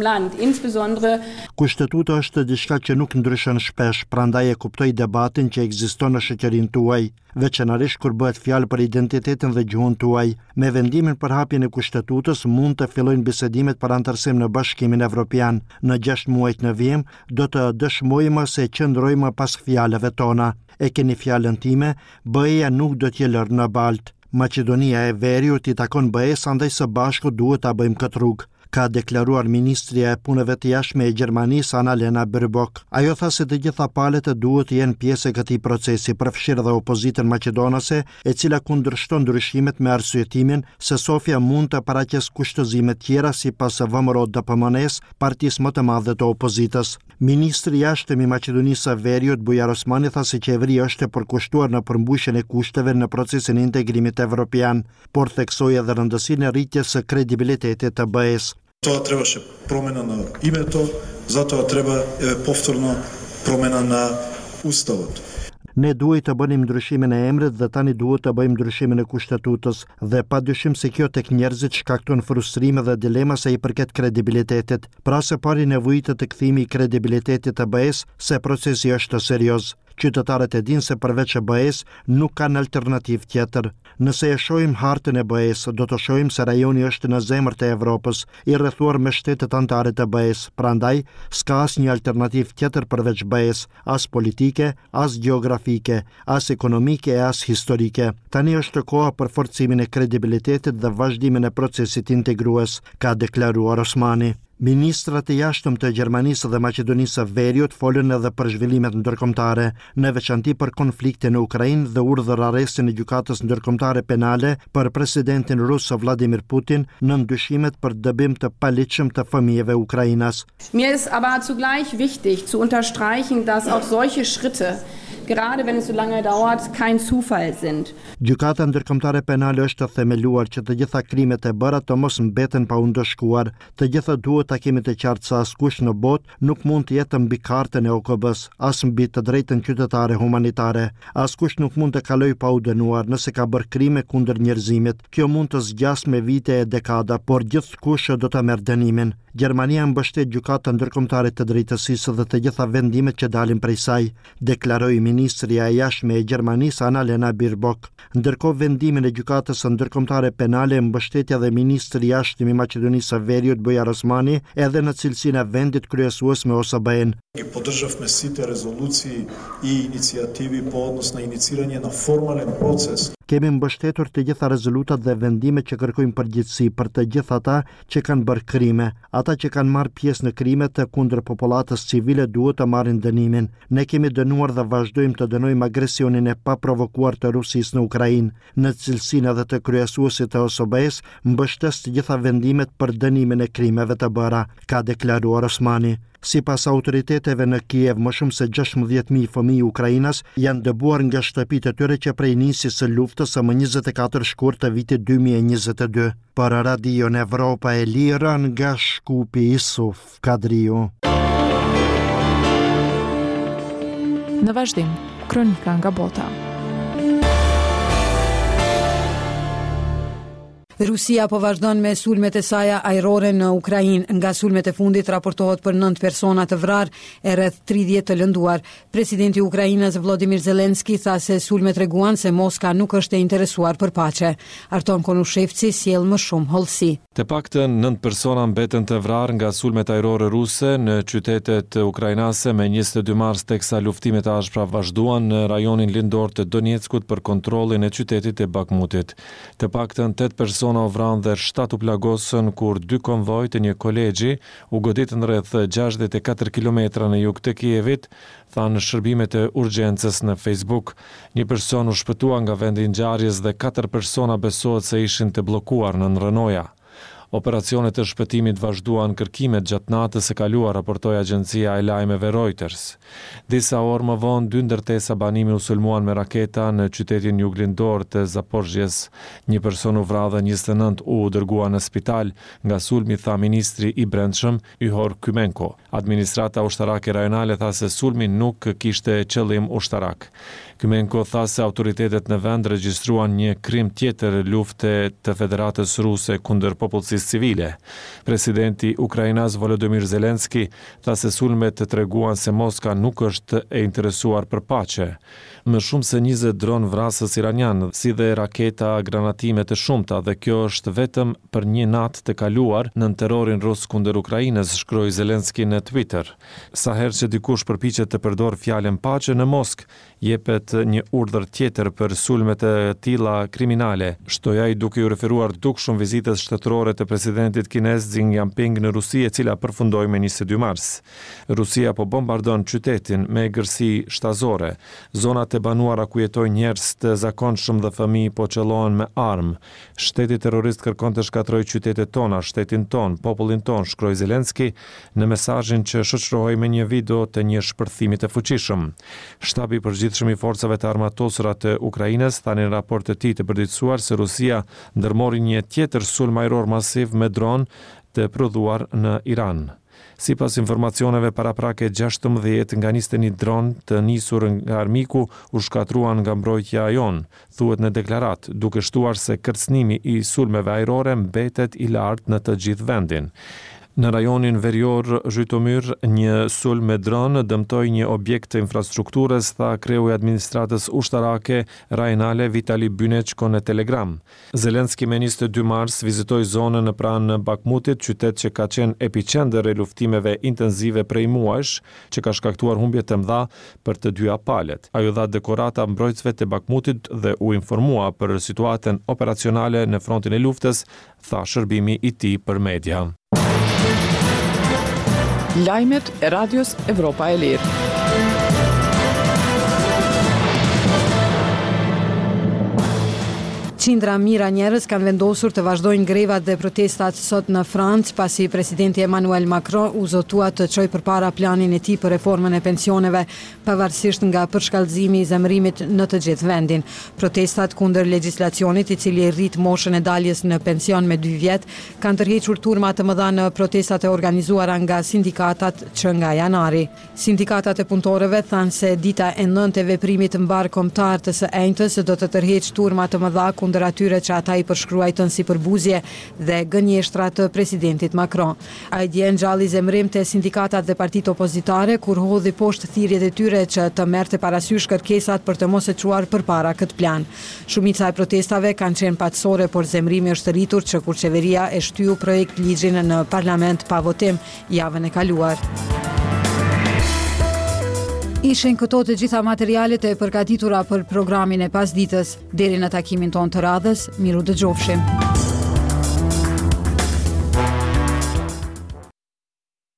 Land, insbesondere Kushtetuta është diçka që nuk ndryshon shpesh, prandaj e kuptoj debatin që ekziston në shoqërinë tuaj, veçanërisht kur bëhet fjalë për identitetin dhe gjuhën tuaj. Me vendimin për hapjen e Kushtetutës mund të fillojnë bisedimet për anëtarësim në Bashkimin Evropian. Në gjashtë muajt në vijim do të dëshmojmë se qëndrojmë pas fjalëve tona. E keni fjalën time, BE-ja nuk do t'ju lërë në baltë. Maqedonia e Veriut i takon BE-së andaj së bashku duhet ta bëjmë këtë rrugë, ka deklaruar ministrja e Punëve të Jashtme e Gjermanisë Annalena Baerbock. Ajo tha se të gjitha palët duhet të jenë pjesë e këtij procesi, përfshirë dhe opozitën maqedonase, e cila kundërshton ndryshimet me arsyetimin se Sofja mund të paraqesë kushtëzime tjera sipas VMRO-DPMNE-së, partisë më të madhe të opozitës. Ministri i Jashtëm i Maqedonisë së Veriut, Bujar Osmani tha se qeveria është e përkushtuar në përmbushjen e kushteve në procesin e integrimit evropian, por theksoi edhe rëndësinë e rritjes së kredibilitetit të BE-së. Тоа требаше промена на името, затоа треба еве повторно промена на уставот. Ne duhej të bënim ndryshimin e emrit dhe tani duhet të bëjmë ndryshimin e Kushtetutës dhe padyshim se kjo tek njerëzit shkakton frustrime dhe dilema sa i përket kredibilitetit. Pra së pari nevojitet kthimi i kredibilitetit të BE-së se procesi është serioz. Qytetarët e dinë se përveç BE-së nuk kanë alternativë tjetër. Nëse e shohim hartën e BE-së, do të shohim se rajoni është në zemër të Evropës, i rrethuar me shtetet anëtare të BE-së, prandaj s'ka asnjë alternativë tjetër përveç BE-së, as politike, as gjeografike, as ekonomike e as historike. Tani është koha për forcimin e kredibilitetit dhe vazhdimin e procesit integrues, ka deklaruar Osmani. Ministrat e Jashtëm të Gjermanisë dhe Maqedonisë së Veriut folën edhe për zhvillimet ndërkombëtare, në veçanti për konfliktin në Ukrainë dhe urdhër-arrestin e Gjykatës Ndërkombëtare Penale për presidentin rus Vladimir Putin nën dyshimet për dëbim të paligjshëm të fëmijëve ukrainas. Mir ist aber zugleich wichtig zu unterstreichen, dass auch solche Schritte, gerade wenn es so lange dauert, kein Zufall sind. Gjykata Ndërkombëtare Penale është themeluar që të gjitha krimet e bëra të mos mbeten pa u ndëshkuar. Të gjithë duhet ta kemi të qartë se askush në botë nuk mund të jetë mbi kartën e OKB-së, as mbi të drejtën qytetare humanitare. Askush nuk mund të kalojë pa u dënuar nëse ka bërë krime kundër njerëzimit. Kjo mund të zgjasë me vite e dekada, por gjithkush do ta merr dënimin. Gjermania mbështet Gjykatën Ndërkombëtare të Drejtësisë dhe të gjitha vendimet që dalin prej saj, deklaroi ministrja e Jashtme e Gjermanisë Annalena Baerbock. Ndërkohë vendimin e Gjykatës Ndërkombëtare Penale e mbështeti edhe ministri i Jashtëm i Maqedonisë së Veriut Bujar Osmani edhe në cilësinë e vendit kryesues me OSBE-në. Ги поддржавме сите резолуции и иницијативи по однос на иницирање на формален процес. Kemi mbështetur të gjitha rezolutat dhe vendimet që kërkojnë përgjegjësi për të gjithë ata që kanë bërë krime. Ata që kanë marrë pjesë në krimet kundër popullatës civile duhet të marrin dënimin. Ne kemi dënuar dhe vazhdojmë të dënojmë agresionin e paprovokuar të Rusisë në Ukrainë. Në cilësinë edhe të kryesuesit të OSBE-së, mbështes të gjitha vendimet për dënimin e krimeve të bëra, ka deklaruar Osmani. Sipas autoriteteve në Kiev, më shumë se 16.000 fëmijë ukrainas janë dëbuar nga shtëpitë e tyre që prej nisjes së luftës së më 24 shkurt të vitit 2022. Për Radion Evropa e Lirë nga Shkupi Isuf Kadriu. Në vazhdim, kronika nga bota. Rusia po vazhdon me sulmet e saja ajrore në Ukrainë. Nga sulmet e fundit raportohet për 9 persona të vrarë e rreth 30 të lënduar. Presidenti i Ukrainës Vladimir Zelensky tha se sulmet treguan se Moska nuk është e interesuar për paqe. Arton Konushevci sjell më shumë hollësi. Të paktën nëntë persona mbetën të vrarë nga sulmet ajrore ruse në qytetet ukrainase me 22 mars teksa luftimet e ashpra vazhduan në rajonin lindor të Donjeckut për kontrollin e qytetit të Bakhmutit. Të paktën tetë persona u vranë dhe shtatë u plagosën kur dy konvoj të një kolegji u goditën rreth 64 kilometra në jug të Kievit, thanë shërbimet e urgjencës në Facebook. Një person u shpëtua nga vendi i ngjarjes dhe katër persona besohet se ishin të bllokuar nën rrënoja. Operacionet e shpëtimit vazhduan kërkimet gjatë natës së kaluar, raportoi agjencia e lajmeve Reuters. Disa orë më vonë, dy ndërtesa banimi u sulmuan me raketa në qytetin juglindor të Zaporizhjes. Një person u vra dhe 29 u dërguan në spital nga sulmi, tha ministri i Brendshëm, Ihor Klymenko. Administrata ushtarake rajonale tha se sulmi nuk kishte qëllim ushtarak. Klymenko tha se autoritetet në vend regjistruan një krim tjetër lufte të Federatës Ruse kundër popullsisë. popullsisë civile. Presidenti ukrainas Volodymyr Zelensky tha se sulmet treguan se Moska nuk është e interesuar për paqe. Më shumë se 20 dronë vrasës iranianë, si dhe raketa granatime të shumta dhe kjo është vetëm për një natë të kaluar nën terrorin rus kundër Ukrainës, shkroi Zelensky në Twitter. Sa herë që dikush përpiqet të përdorë fjalën paqe në Moskë, jepet një urdhër tjetër për sulme të tilla kriminale, shtoi ai duke iu referuar dukshëm vizitës shtetërore të presidentit kinez Xi Jinping në Rusi e cila përfundoi më 22 mars. Rusia po bombardon qytetin me egërsi shtazore. Zonat e banuara ku jetojnë njerëz të zakonshëm dhe fëmijë po qëllohen me armë. Shteti terrorist kërkon të shkatërrojë qytetet tona, shtetin tonë, popullin tonë, shkroi Zelensky në mesazhin që shoqërohej me një video të një shpërthimi të fuqishëm. Shtabi i Përgjithshëm i Forcave të Armatosura të Ukrainës tha në një raport të tij të përditësuar se Rusia ndërmori një tjetër sulm ajror masiv me dron të prodhuar në Iran. Sipas informacioneve paraprake 16 nga 21 dronë të nisur nga armiku u shkatërruan nga mbrojtja jonë, thuhet në deklaratë, duke shtuar se kërcënimi i sulmeve ajrore mbetet i lartë në të gjithë vendin. Në rajonin verior Zhytomyr, një sulm me dron dëmtoi një objekt të infrastrukturës, tha kreu i administratës ushtarake rajonale Vitali Buneçko në Telegram. Zelensky me 22 mars vizitoi zonën në pranë Bakhmutit, qytet që ka qenë epiqendër e luftimeve intensive prej muajsh, që ka shkaktuar humbje të mëdha për të dyja palët. Ai u dha dekorata mbrojtësve të Bakhmutit dhe u informua për situatën operacionale në frontin e luftës, tha shërbimi i tij për media. Lajmet e Radios Evropa e Lirë. Qindra mijëra njerëz kanë vendosur të vazhdojnë grevat dhe protestat sot në Francë, pasi presidenti Emmanuel Macron u zotua të çojë përpara planin e tij për reformën e pensioneve, pavarësisht nga përshkallëzimi i zemërimit në të gjithë vendin. Protestat kundër legjislacionit, i cili rrit moshën e daljes në pension me dy vjet, kanë tërhequr turma të mëdha në protestat e organizuara nga sindikatat që nga janari. Sindikatat e punëtorëve thanë se dita e nëntë e veprimit mbarëkombëtar të së enjtes do të tërheqë turma të mëdha kundër atyre që ata i përshkruajtën si përbuzje dhe gënjeshtra të presidentit Macron. Ai dje ngjalli zemërim te sindikatat dhe partitë opozitare kur hodhi poshtë thirrjet e tyre që të merrte parasysh kërkesat për të mos e çuar përpara këtë plan. Shumica e protestave kanë qenë paqësore, por zemërimi është rritur që kur qeveria e shtyu projektligjin në parlament pa votim javën e kaluar. Ishin këto të gjitha materialet e përgatitura për programin e pasditës. Deri në takimin tonë të radhës, mirudëgjofshim.